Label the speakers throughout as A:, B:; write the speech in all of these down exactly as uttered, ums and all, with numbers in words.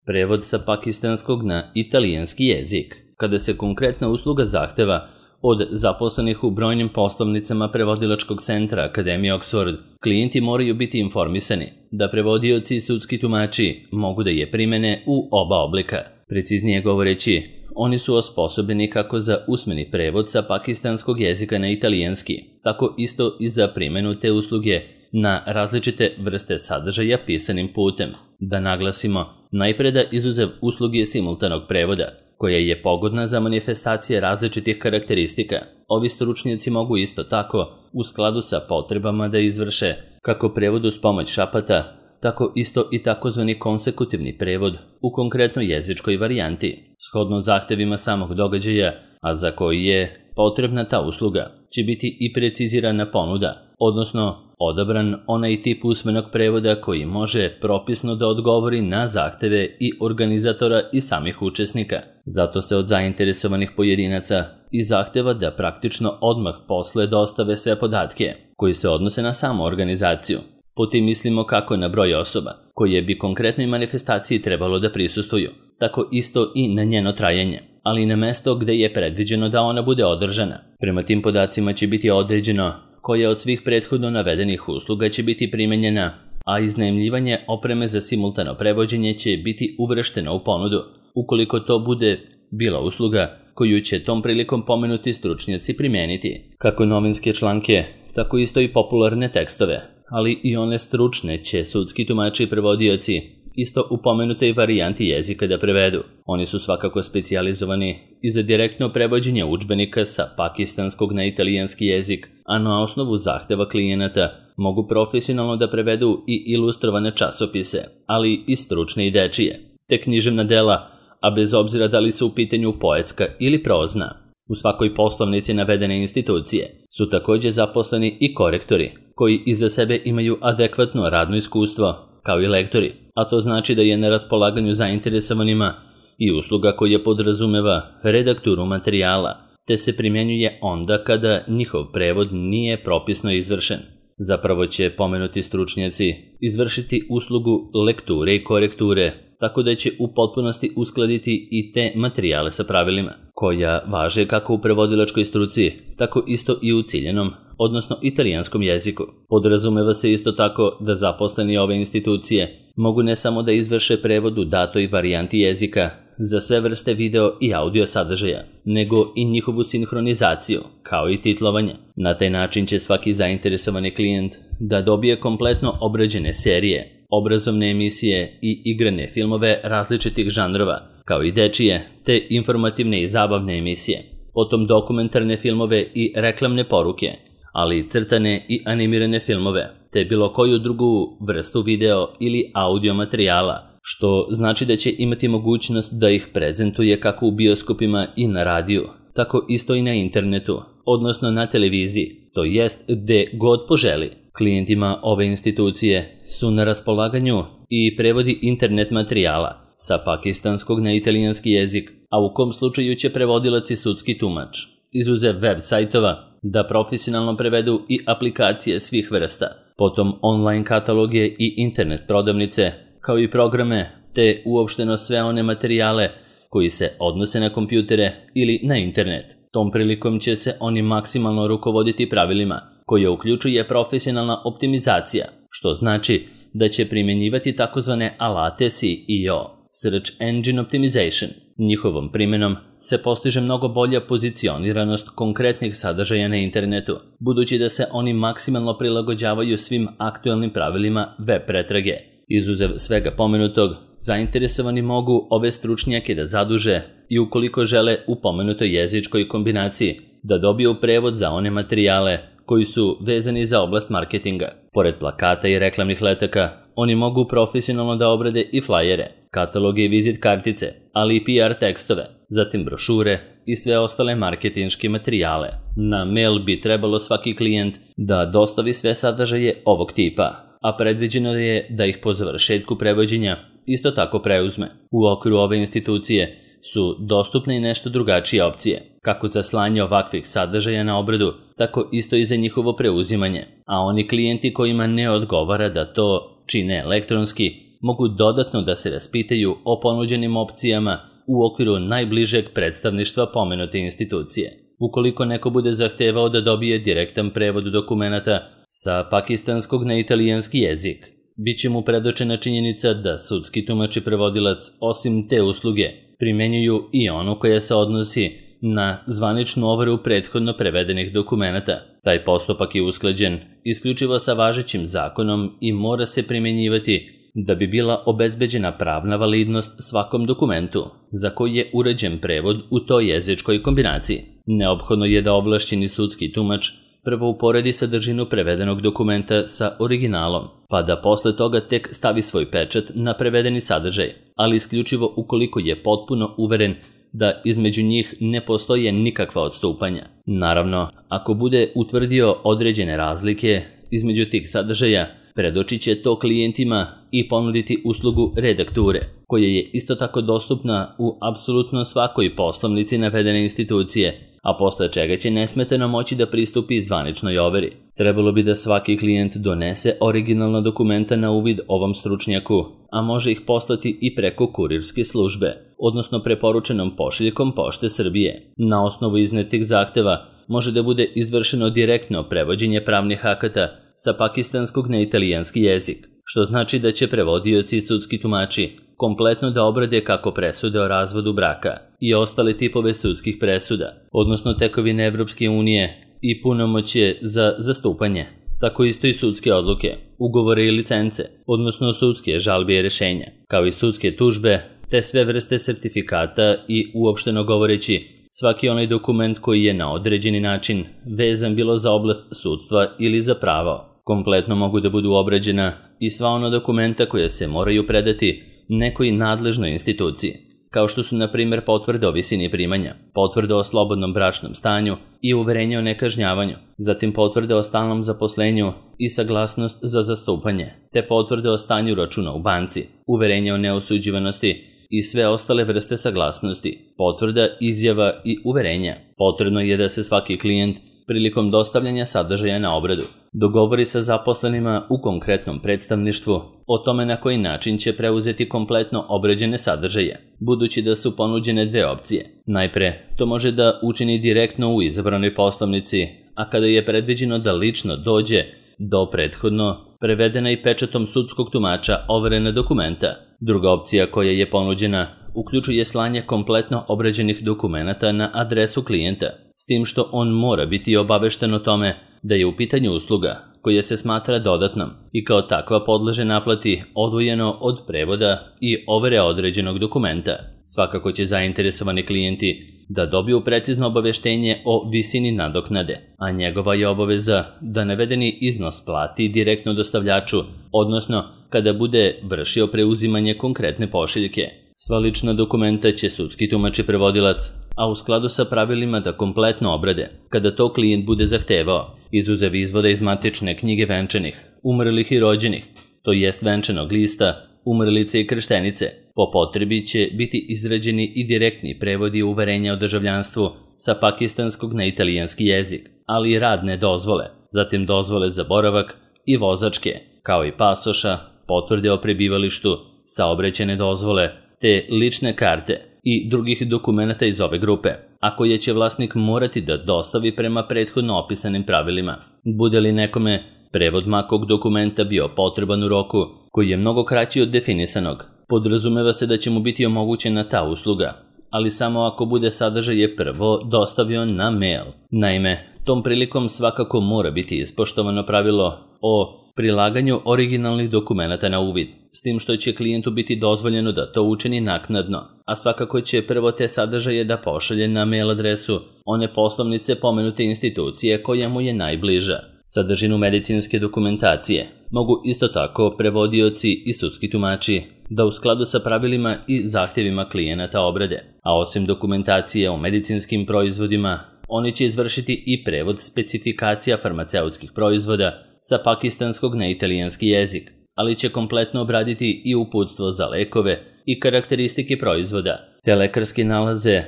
A: Prevod sa pakistanskog na italijanski jezik. Kada se konkretna usluga zahteva od zaposlenih u brojnim poslovnicama prevodilačkog centra Akademije Oxford, klijenti moraju biti informisani da prevodioci i sudski tumači mogu da je primene u oba oblika. Preciznije govoreći, oni su osposobljeni kako za usmeni prevod sa pakistanskog jezika na italijanski, tako isto i za primenu te usluge na različite vrste sadržaja pisanim putem. Da naglasimo, najpre da izuzev usluge simultanog prevoda, koja je pogodna za manifestacije različitih karakteristika, ovi stručnjaci mogu isto tako, u skladu sa potrebama da izvrše kako prevod uz pomoć šapata, tako isto i takozvani konsekutivni prevod u konkretnoj jezičkoj varijanti, shodno zahtevima samog događaja, a za koji je potrebna ta usluga, će biti i precizirana ponuda, odnosno odabran onaj tip usmenog prevoda koji može propisno da odgovori na zahteve i organizatora i samih učesnika. Zato se od zainteresovanih pojedinaca i zahteva da praktično odmah posle dostave sve podatke koji se odnose na samu organizaciju. Potim mislimo kako na broj osoba koje bi konkretnoj manifestaciji trebalo da prisustvuju, tako isto i na njeno trajanje, ali i na mesto gde je predviđeno da ona bude održana. Prema tim podacima će biti određeno koja od svih prethodno navedenih usluga će biti primenjena, a iznajmljivanje opreme za simultano prevođenje će biti uvršteno u ponudu, ukoliko to bude bila usluga koju će tom prilikom pomenuti stručnjaci primeniti. Kako novinske članke, tako isto i popularne tekstove, ali i one stručne će sudski tumači i prevodioci isto u pomenutoj varijanti jezika da prevedu. Oni su svakako specijalizovani i za direktno prevođenje udžbenika sa pakistanskog na italijanski jezik, a na osnovu zahteva klijenata mogu profesionalno da prevedu i ilustrovane časopise, ali i stručne i dečije, te književna dela, a bez obzira da li su u pitanju poetska ili prozna. U svakoj poslovnici navedene institucije su također zaposleni i korektori, koji iza sebe imaju adekvatno radno iskustvo, kao i lektori, a to znači da je na raspolaganju zainteresovanima i usluga koja podrazumeva redakturu materijala, te se primjenjuje onda kada njihov prevod nije propisno izvršen. Zapravo će pomenuti stručnjaci izvršiti uslugu lekture i korekture, tako da će u potpunosti uskladiti i te materijale sa pravilima, koja važe kako u prevodilačkoj struci, tako isto i u ciljenom, odnosno italijanskom jeziku. Podrazumeva se isto tako da zaposleni ove institucije mogu ne samo da izvrše prevod u datoj varijanti jezika za sve vrste video i audio sadržaja, nego i njihovu sinhronizaciju, kao i titlovanje. Na taj način će svaki zainteresovani klijent da dobije kompletno obrađene serije, obrazovne emisije i igrane filmove različitih žanrova, kao i dečije, te informativne i zabavne emisije, potom dokumentarne filmove i reklamne poruke, ali i crtane i animirane filmove, te bilo koju drugu vrstu video ili audio materijala, što znači da će imati mogućnost da ih prezentuje kako u bioskopima i na radiju, tako isto i na internetu, odnosno na televiziji, to jest gde god poželi. Klijentima ove institucije su na raspolaganju i prevodi internet materijala sa pakistanskog na italijanski jezik, a u kom slučaju će prevodilac i sudski tumač, izuzev web sajtova, da profesionalno prevedu i aplikacije svih vrsta, potom online kataloge i internet prodavnice, kao i programe, te uopšteno sve one materijale koji se odnose na kompjutere ili na internet. Tom prilikom će se oni maksimalno rukovoditi pravilima, koje uključuje profesionalna optimizacija, što znači da će primjenjivati takozvane alate S E O, Search Engine Optimization. Njihovom primjenom se postiže mnogo bolja pozicioniranost konkretnih sadržaja na internetu, budući da se oni maksimalno prilagođavaju svim aktualnim pravilima web pretrage. Izuzev svega pomenutog, zainteresovani mogu ove stručnjake da zaduže i ukoliko žele u pomenutoj jezičkoj kombinaciji da dobiju prevod za one materijale koji su vezani za oblast marketinga. Pored plakata i reklamnih letaka, oni mogu profesionalno da obrade i flajere, kataloge i vizit kartice, ali i P R tekstove, zatim brošure i sve ostale marketinške materijale. Na mail bi trebalo svaki klijent da dostavi sve sadržaje ovog tipa, a predviđeno je da ih po završetku prevođenja isto tako preuzme. U okviru ove institucije su dostupne i nešto drugačije opcije, kako za slanje ovakvih sadržaja na obradu, tako isto i za njihovo preuzimanje, a oni klijenti kojima ne odgovara da to čine elektronski mogu dodatno da se raspitaju o ponuđenim opcijama u okviru najbližeg predstavništva pomenute institucije. Ukoliko neko bude zahtevao da dobije direktan prevod dokumenata sa pakistanskog na italijanski jezik, bit će mu predočena činjenica da sudski tumač i prevodilac osim te usluge primenjuju i onu koja se odnosi na zvaničnu overu prethodno prevedenih dokumenata. Taj postupak je usklađen isključivo sa važećim zakonom i mora se primenjivati da bi bila obezbeđena pravna validnost svakom dokumentu za koji je uređen prevod u toj jezičkoj kombinaciji. Neophodno je da ovlašćeni sudski tumač prvo uporedi sadržinu prevedenog dokumenta sa originalom, pa da posle toga tek stavi svoj pečat na prevedeni sadržaj, ali isključivo ukoliko je potpuno uveren da između njih ne postoje nikakva odstupanja. Naravno, ako bude utvrdio određene razlike između tih sadržaja, predočit će to klijentima i ponuditi uslugu redakture, koja je isto tako dostupna u apsolutno svakoj poslovnici navedene institucije, a posle čega će nesmetano moći da pristupi zvaničnoj overi. Trebalo bi da svaki klijent donese originalna dokumenta na uvid ovom stručnjaku, a može ih poslati i preko kurirske službe, odnosno preporučenom pošiljkom Pošte Srbije. Na osnovu iznetih zahteva može da bude izvršeno direktno prevođenje pravnih akata sa pakistanskog na italijanski jezik, što znači da će prevodioci i sudski tumači kompletno da obrade kako presude o razvodu braka i ostale tipove sudskih presuda, odnosno tekovine Evropske unije i punomoćje za zastupanje, tako isto i sudske odluke, ugovore i licence, odnosno sudske žalbe i rešenja, kao i sudske tužbe, te sve vrste sertifikata i, uopšteno govoreći, svaki onaj dokument koji je na određeni način vezan bilo za oblast sudstva ili za pravo. Kompletno mogu da budu obrađena i sva ona dokumenta koja se moraju predati nekoj nadležnoj instituciji, kao što su na primjer potvrde o visini primanja, potvrde o slobodnom bračnom stanju i uverenje o nekažnjavanju, zatim potvrde o stalnom zaposlenju i saglasnost za zastupanje, te potvrde o stanju računa u banci, uverenje o neosuđivanosti i sve ostale vrste saglasnosti, potvrda, izjava i uverenja. Potrebno je da se svaki klijent prilikom dostavljanja sadržaja na obradu dogovori sa zaposlenima u konkretnom predstavništvu o tome na koji način će preuzeti kompletno obrađene sadržaje, budući da su ponuđene dve opcije. Najpre, to može da učini direktno u izabranoj poslovnici, a kada je predviđeno da lično dođe do prethodno prevedena i pečatom sudskog tumača overena dokumenta. Druga opcija koja je ponuđena uključuje slanje kompletno obrađenih dokumenata na adresu klijenta, s tim što on mora biti obavešten o tome da je u pitanju usluga koja se smatra dodatnom i kao takva podleže naplati odvojeno od prevoda i overe određenog dokumenta. Svakako će zainteresovani klijenti da dobiju precizno obaveštenje o visini nadoknade, a njegova je obaveza da navedeni iznos plati direktno dostavljaču, odnosno kada bude vršio preuzimanje konkretne pošiljke. Sva lična dokumenta će sudski tumač i prevodilac, a u skladu sa pravilima da kompletno obrade, kada to klijent bude zahtevao, izuzev izvoda iz matične knjige venčanih, umrlih i rođenih, to jest venčanog lista, umrlice i krštenice. Po potrebi će biti izrađeni i direktni prevodi uverenja o državljanstvu sa pakistanskog na italijanski jezik, ali i radne dozvole, zatim dozvole za boravak i vozačke, kao i pasoša, potvrde o prebivalištu, saobraćajne dozvole, te lične karte i drugih dokumenata iz ove grupe, a koje će vlasnik morati da dostavi prema prethodno opisanim pravilima. Bude li nekome prevod makog dokumenta bio potreban u roku koji je mnogo kraći od definisanog, podrazumeva se da će mu biti omogućena ta usluga, ali samo ako bude sadržaj prvo dostavio na mail. Naime, tom prilikom svakako mora biti ispoštovano pravilo o prilaganju originalnih dokumenata na uvid, s tim što će klijentu biti dozvoljeno da to učini naknadno, a svakako će prvo te sadržaje da pošalje na mail adresu one poslovnice pomenute institucije koja mu je najbliža. Sadržinu medicinske dokumentacije mogu isto tako prevodioci i sudski tumači da u skladu sa pravilima i zahtjevima klijenata obrade, a osim dokumentacije o medicinskim proizvodima, oni će izvršiti i prevod specifikacija farmaceutskih proizvoda sa pakistanskog na italijanski jezik, ali će kompletno obraditi i uputstvo za lekove i karakteristike proizvoda, te lekarske nalaze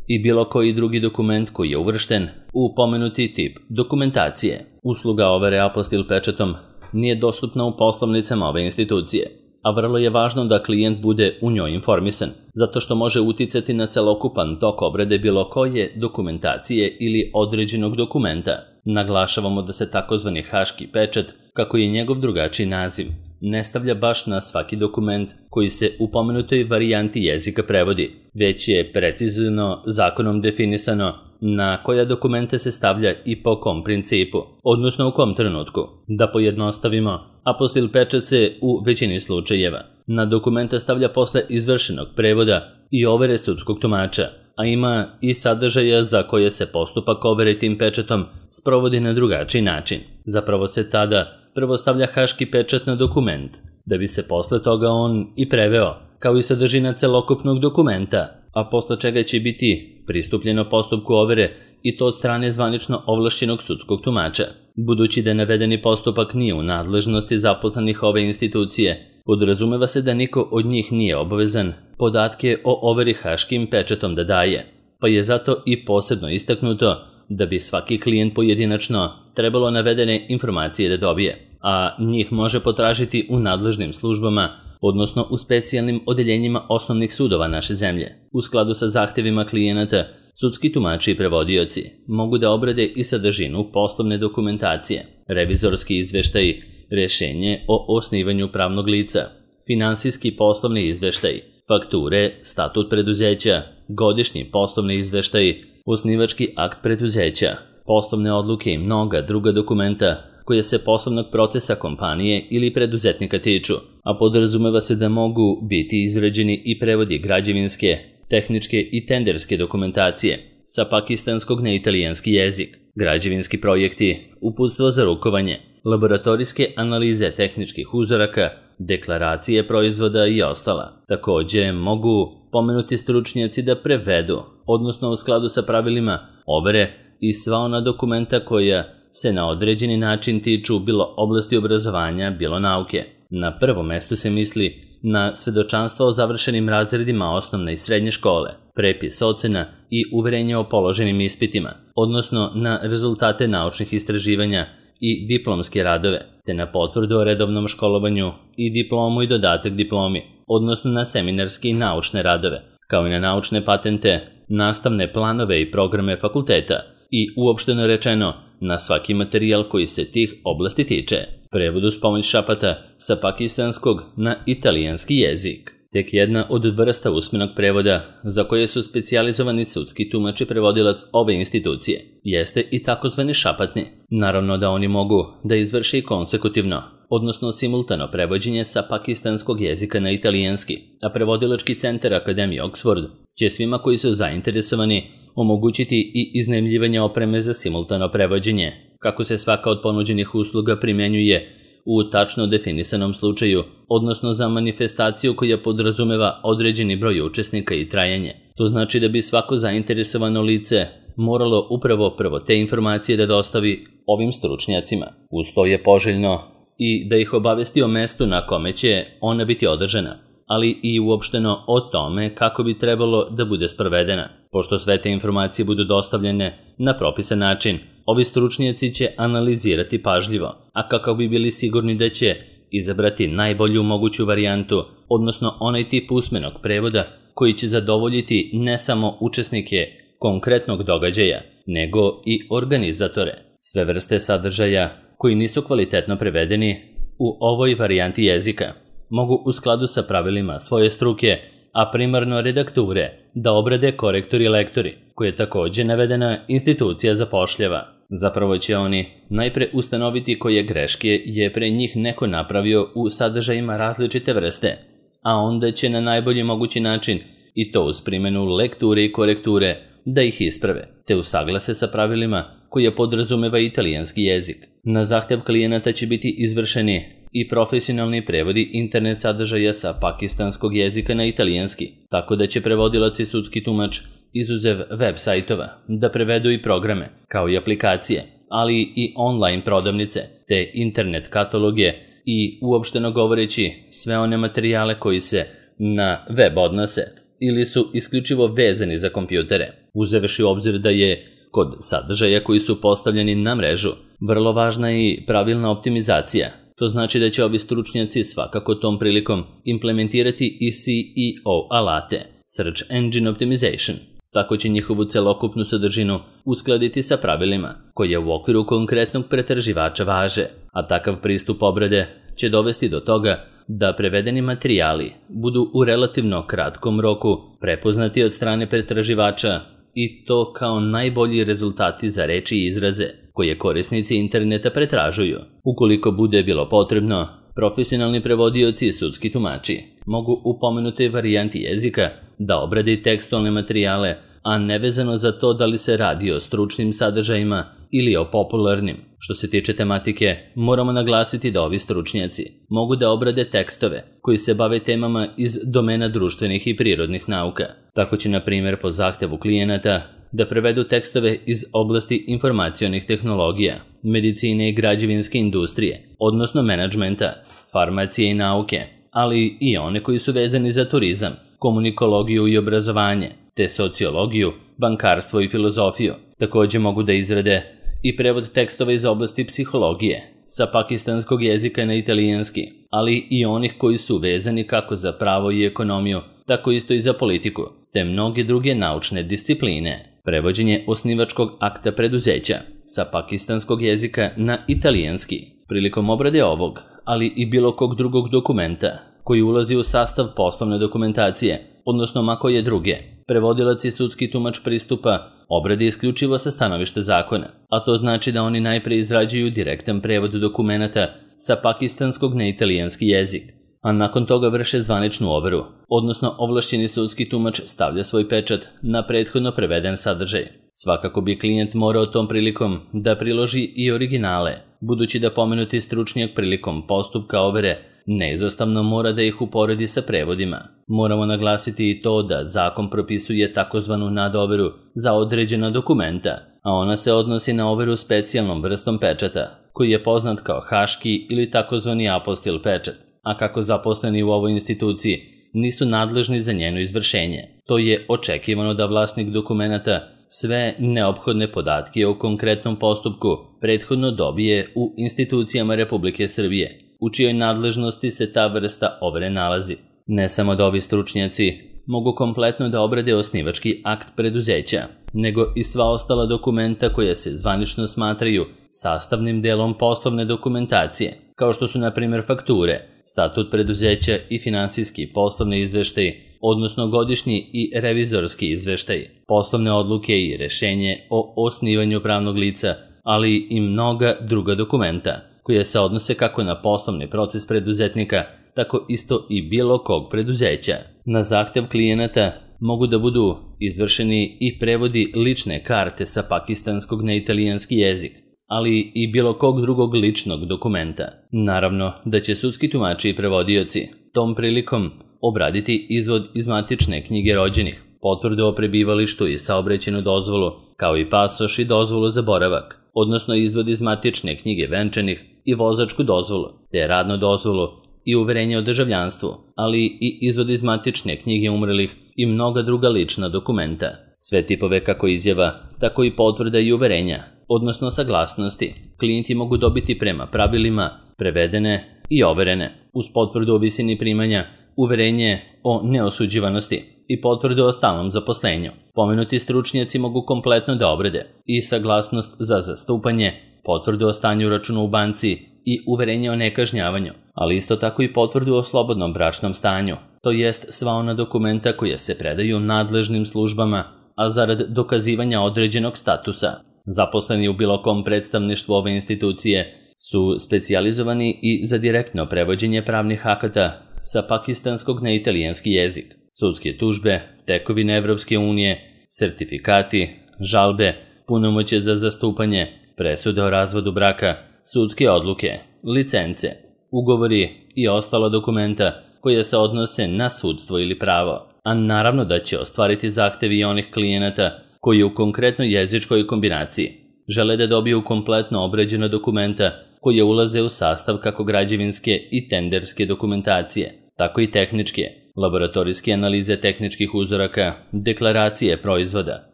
A: i bilo koji drugi dokument koji je uvršten u pomenuti tip dokumentacije. Usluga overe apostil pečatom nije dostupna u poslovnicama ove institucije, a vrlo je važno da klijent bude u njoj informisan, zato što može uticati na celokupan tok obrade bilo koje dokumentacije ili određenog dokumenta. Naglašavamo da se takozvani haški pečat, kako je njegov drugačiji naziv, ne stavlja baš na svaki dokument koji se u pomenutoj varijanti jezika prevodi, već je precizno zakonom definisano na koja dokumenta se stavlja i po kom principu, odnosno u kom trenutku. Da pojednostavimo, apostil pečat se u većini slučajeva na dokumenta stavlja posle izvršenog prevoda i overe sudskog tumača, a ima i sadržaja za koje se postupak overe tim pečatom sprovodi na drugačiji način. Zapravo se tada prvo stavlja haški pečat na dokument, da bi se posle toga on i preveo, kao i sadržina celokupnog dokumenta, a posle čega će biti pristupljeno postupku overe i to od strane zvanično ovlašćenog sudskog tumača. Budući da navedeni postupak nije u nadležnosti zaposlenih ove institucije, podrazumeva se da niko od njih nije obavezan podatke o overi haškim pečatom da daje, pa je zato i posebno istaknuto da bi svaki klijent pojedinačno trebalo navedene informacije da dobije, a njih može potražiti u nadležnim službama, odnosno u specijalnim odeljenjima osnovnih sudova naše zemlje. U skladu sa zahtevima klijenata, sudski tumači i prevodioci mogu da obrade i sadržinu poslovne dokumentacije, revizorski izveštaj, rešenje o osnivanju pravnog lica, finansijski poslovni izveštaj, fakture, statut preduzeća, godišnji poslovni izveštaj, osnivački akt preduzeća, poslovne odluke i mnoga druga dokumenta koje se poslovnog procesa kompanije ili preduzetnika tiču, a podrazumeva se da mogu biti izrađeni i prevodi građevinske, tehničke i tenderske dokumentacije sa pakistanskog na italijanski jezik, građevinski projekti, uputstvo za rukovanje, laboratorijske analize tehničkih uzoraka, deklaracije proizvoda i ostala. Takođe mogu pomenuti stručnjaci da prevedu, odnosno u skladu sa pravilima overe i sva ona dokumenta koja se na određeni način tiču bilo oblasti obrazovanja, bilo nauke. Na prvom mestu se misli na svedočanstva o završenim razredima osnovne i srednje škole, prepis ocena i uverenje o položenim ispitima, odnosno na rezultate naučnih istraživanja i diplomske radove, te na potvrdu o redovnom školovanju i diplomu i dodatak diplomi, odnosno na seminarske i naučne radove, kao i na naučne patente, nastavne planove i programe fakulteta i uopšteno rečeno na svaki materijal koji se tih oblasti tiče. Prevod uz pomoć šapata sa pakistanskog na italijanski jezik. Tek jedna od vrsta usmenog prevoda za koje su specijalizovani sudski tumač i prevodilac ove institucije jeste i takozvani šapatni. Naravno da oni mogu da izvrše i konsekutivno, odnosno simultano prevođenje sa pakistanskog jezika na italijanski, a prevodilački centar Akademije Oxford će svima koji su zainteresovani omogućiti i iznajmljivanje opreme za simultano prevođenje, kako se svaka od ponuđenih usluga primenjuje u tačno definisanom slučaju, odnosno za manifestaciju koja podrazumeva određeni broj učesnika i trajanje. To znači da bi svako zainteresovano lice moralo upravo prvo te informacije da dostavi ovim stručnjacima. Uz to je poželjno i da ih obavesti o mestu na kome će ona biti održana, ali i uopšteno o tome kako bi trebalo da bude sprovedena. Pošto sve te informacije budu dostavljene na propisan način, ovi stručnjaci će analizirati pažljivo, a kako bi bili sigurni da će izabrati najbolju moguću varijantu, odnosno onaj tip usmenog prevoda koji će zadovoljiti ne samo učesnike konkretnog događaja, nego i organizatore. Sve vrste sadržaja koji nisu kvalitetno prevedeni u ovoj varijanti jezika mogu u skladu sa pravilima svoje struke, a primarno redakture, da obrade korektori i lektori, koje takođe navedena institucija zapošljava. Zapravo će oni najpre ustanoviti koje greške je pre njih neko napravio u sadržajima različite vrste, a onda će na najbolji mogući način, i to uz primjenu lekture i korekture, da ih isprave, te usaglase sa pravilima koje podrazumeva italijanski jezik. Na zahtev klijenata će biti izvršeni i profesionalni prevodi internet sadržaja sa pakistanskog jezika na italijanski, tako da će prevodilac i sudski tumač izuzev web sajtova da prevedu i programe, kao i aplikacije, ali i online prodavnice, te internet kataloge i uopšteno govoreći sve one materijale koji se na web odnose ili su isključivo vezani za kompjutere, uzevši u obzir da je kod sadržaja koji su postavljeni na mrežu vrlo važna i pravilna optimizacija, To znači da će ovi stručnjaci svakako tom prilikom implementirati i C E O alate, Search Engine Optimization. Tako će njihovu celokupnu sadržinu uskladiti sa pravilima koje u okviru konkretnog pretraživača važe, a takav pristup obrade će dovesti do toga da prevedeni materijali budu u relativno kratkom roku prepoznati od strane pretraživača i to kao najbolji rezultati za reči i izraze koje korisnici interneta pretražuju. Ukoliko bude bilo potrebno, profesionalni prevodioci i sudski tumači mogu u pomenutoj varijanti jezika da obrade tekstualne materijale, a nevezano za to da li se radi o stručnim sadržajima ili o popularnim. Što se tiče tematike, moramo naglasiti da ovi stručnjaci mogu da obrade tekstove koji se bave temama iz domena društvenih i prirodnih nauka. Tako će, na primjer, po zahtevu klijenata da prevedu tekstove iz oblasti informacionih tehnologija, medicine i građevinske industrije, odnosno menadžmenta, farmacije i nauke, ali i one koji su vezani za turizam, komunikologiju i obrazovanje, te sociologiju, bankarstvo i filozofiju. Također mogu da izrade i prevod tekstova iz oblasti psihologije, sa pakistanskog jezika na italijanski, ali i onih koji su vezani kako za pravo i ekonomiju, tako isto i za politiku, te mnoge druge naučne discipline. Prevođenje osnivačkog akta preduzeća sa pakistanskog jezika na italijanski. Prilikom obrade ovog, ali i bilo kog drugog dokumenta koji ulazi u sastav poslovne dokumentacije, odnosno ma koje druge, prevodilac i sudski tumač pristupa obradi isključivo sa stanovišta zakona, a to znači da oni najpre izrađuju direktan prevod dokumenata sa pakistanskog na italijanski jezik, a nakon toga vrše zvaničnu overu, odnosno ovlašćeni sudski tumač stavlja svoj pečat na prethodno preveden sadržaj. Svakako bi klijent morao tom prilikom da priloži i originale, budući da pomenuti stručnjak prilikom postupka overe neizostavno mora da ih uporedi sa prevodima. Moramo naglasiti i to da zakon propisuje takozvanu nadoveru za određena dokumenta, a ona se odnosi na overu specijalnom vrstom pečata, koji je poznat kao haški ili takozvani apostil pečat, a kako zaposleni u ovoj instituciji nisu nadležni za njeno izvršenje, to je očekivano da vlasnik dokumenata sve neophodne podatke o konkretnom postupku prethodno dobije u institucijama Republike Srbije, u čijoj nadležnosti se ta vrsta overe nalazi. Ne samo da ovi stručnjaci mogu kompletno da obrade osnivački akt preduzeća, nego i sva ostala dokumenta koja se zvanično smatraju sastavnim delom poslovne dokumentacije, kao što su na primjer fakture, statut preduzeća i finansijski poslovni izveštaji, odnosno godišnji i revizorski izveštaji, poslovne odluke i rešenje o osnivanju pravnog lica, ali i mnoga druga dokumenta koje se odnose kako na poslovni proces preduzetnika, tako isto i bilo kog preduzeća. Na zahtev klijenata mogu da budu izvršeni i prevodi lične karte sa pakistanskog na italijanski jezik, ali i bilo kog drugog ličnog dokumenta. Naravno da će sudski tumači i prevodioci tom prilikom obraditi izvod iz matične knjige rođenih, potvrdu o prebivalištu i saobraćajnu dozvolu, kao i pasoš i dozvolu za boravak, odnosno izvod iz matične knjige venčanih i vozačku dozvolu, te radnu dozvolu i uverenje o državljanstvu, ali i izvod iz matične knjige umrlih i mnoga druga lična dokumenta. Sve tipove kako izjava, tako i potvrda i uverenja, odnosno saglasnosti, klijenti mogu dobiti prema pravilima prevedene i overene, uz potvrdu o visini primanja, uverenje o neosuđivanosti i potvrdu o stalnom zaposlenju. Pomenuti stručnjaci mogu kompletno da obrade i saglasnost za zastupanje, potvrdu o stanju računa u banci i uverenje o nekažnjavanju, ali isto tako i potvrdu o slobodnom bračnom stanju, to jest sva ona dokumenta koja se predaju nadležnim službama, a zarad dokazivanja određenog statusa. Zaposleni u bilo kom predstavništvu ove institucije su specijalizovani i za direktno prevođenje pravnih akata sa pakistanskog na italijanski jezik, sudske tužbe, tekovine Evropske unije, sertifikati, žalbe, punomoćje za zastupanje, presude o razvodu braka, sudske odluke, licence, ugovori i ostala dokumenta koja se odnose na sudstvo ili pravo, a naravno da će ostvariti zahtevi onih klijenata koji u konkretnoj jezičkoj kombinaciji žele da dobiju kompletno obrađena dokumenta koje ulaze u sastav kako građevinske i tenderske dokumentacije, tako i tehničke, laboratorijske analize tehničkih uzoraka, deklaracije proizvoda,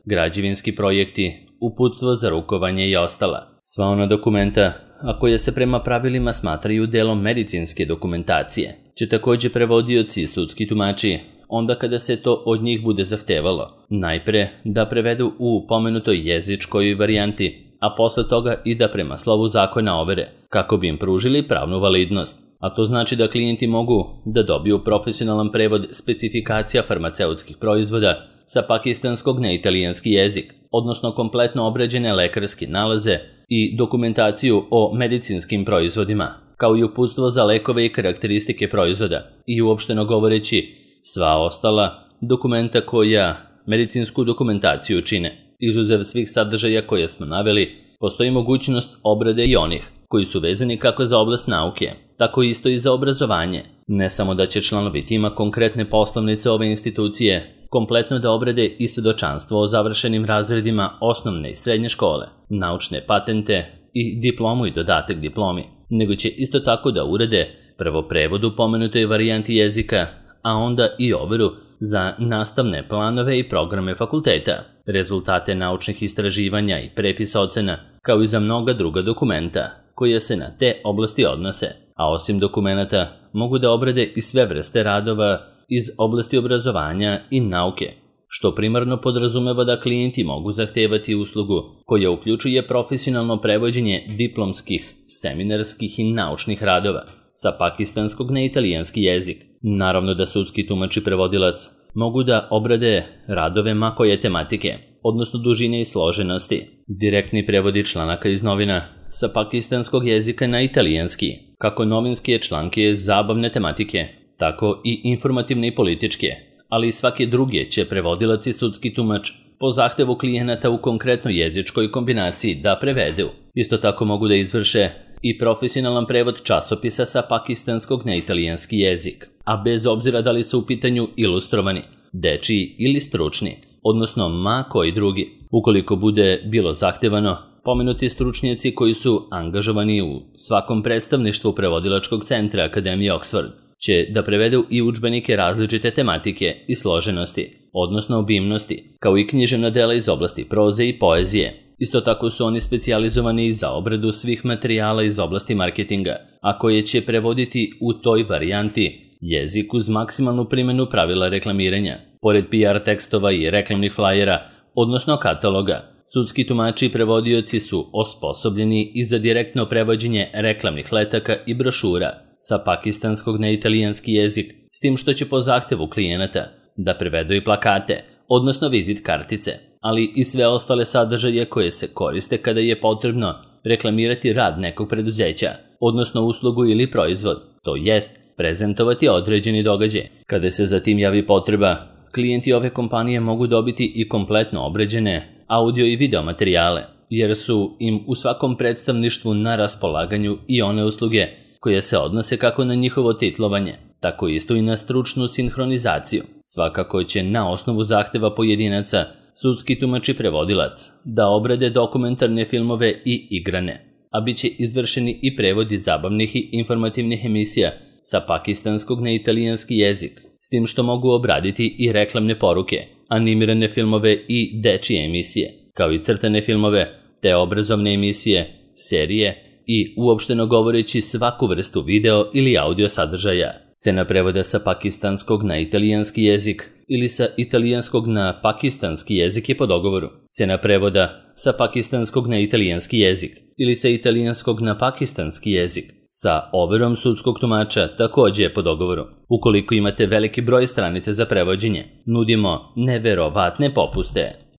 A: građevinski projekti, uputstvo za rukovanje i ostala. Sva ona dokumenta a koje se prema pravilima smatraju delom medicinske dokumentacije, će također prevodioci i sudski tumači, onda kada se to od njih bude zahtevalo, najpre da prevedu u pomenutoj jezičkoj varijanti, a posle toga i da prema slovu zakona overe, kako bi im pružili pravnu validnost. A to znači da klijenti mogu da dobiju profesionalan prevod specifikacija farmaceutskih proizvoda sa pakistanskog na italijanski jezik, odnosno kompletno obrađene lekarske nalaze i dokumentaciju o medicinskim proizvodima, kao i uputstvo za lekove i karakteristike proizvoda i uopšteno govoreći sva ostala dokumenta koja medicinsku dokumentaciju čine. Izuzev svih sadržaja koje smo naveli, postoji mogućnost obrade i onih koji su vezani kako za oblast nauke, tako isto i za obrazovanje. Ne samo da će članovi tima konkretne poslovnice ove institucije kompletno da obrade i svedočanstvo o završenim razredima osnovne i srednje škole, naučne patente i diplomu i dodatak diplomi, nego će isto tako da urade prvo prevod u pomenutoj varijanti jezika, a onda i overu za nastavne planove i programe fakulteta, rezultate naučnih istraživanja i prepisa ocena, kao i za mnoga druga dokumenta koje se na te oblasti odnose, a osim dokumenata mogu da obrade i sve vrste radova iz oblasti obrazovanja i nauke, što primarno podrazumeva da klijenti mogu zahtevati uslugu koja uključuje profesionalno prevođenje diplomskih, seminarskih i naučnih radova sa pakistanskog na italijanski jezik. Naravno da sudski tumač i prevodilac mogu da obrade radove ma koje tematike, odnosno dužine i složenosti, direktni prevodi članaka iz novina sa pakistanskog jezika na italijanski, kako novinske članke zabavne tematike, tako i informativne i političke, ali i svake druge će prevodilac i sudski tumač po zahtevu klijenata u konkretnoj jezičkoj kombinaciji da prevedu. Isto tako mogu da izvrše i profesionalan prevod časopisa sa pakistanskog na italijanski jezik, a bez obzira da li su u pitanju ilustrovani, dečiji ili stručni, odnosno ma koji drugi. Ukoliko bude bilo zahtevano, pomenuti stručnjaci koji su angažovani u svakom predstavništvu prevodilačkog centra Akademije Oxford će da prevedu i udžbenike različite tematike i složenosti, odnosno obimnosti, kao i književna dela iz oblasti proze i poezije. Isto tako su oni specijalizovani i za obradu svih materijala iz oblasti marketinga, a koje će prevoditi u toj varijanti jezik uz maksimalnu primjenu pravila reklamiranja. Pored P R tekstova i reklamnih flajera, odnosno kataloga, sudski tumači i prevodioci su osposobljeni i za direktno prevođenje reklamnih letaka i brošura sa pakistanskog na italijanski jezik, s tim što će po zahtevu klijenata da prevedu i plakate, odnosno vizit kartice, ali i sve ostale sadržaje koje se koriste kada je potrebno reklamirati rad nekog preduzeća, odnosno uslugu ili proizvod, to jest prezentovati određeni događaj. Kada se za tim javi potreba, klijenti ove kompanije mogu dobiti i kompletno obrađene audio i video materijale, jer su im u svakom predstavništvu na raspolaganju i one usluge koje se odnose kako na njihovo titlovanje, tako isto i na stručnu sinhronizaciju. Svakako će na osnovu zahteva pojedinaca sudski tumač i prevodilac da obrade dokumentarne filmove i igrane, a bit će izvršeni i prevodi zabavnih i informativnih emisija sa pakistanskog na italijanski jezik, s tim što mogu obraditi i reklamne poruke, animirane filmove i dečije emisije, kao i crtane filmove, te obrazovne emisije, serije i uopšteno govoreći svaku vrstu video ili audio sadržaja. Cena prevoda sa pakistanskog na italijanski jezik ili sa italijanskog na pakistanski jezik je po dogovoru. Cena prevoda sa pakistanskog na italijanski jezik ili sa italijanskog na pakistanski jezik sa overom sudskog tumača također je po dogovoru. Ukoliko imate veliki broj stranica za prevođenje, nudimo neverovatne popuste.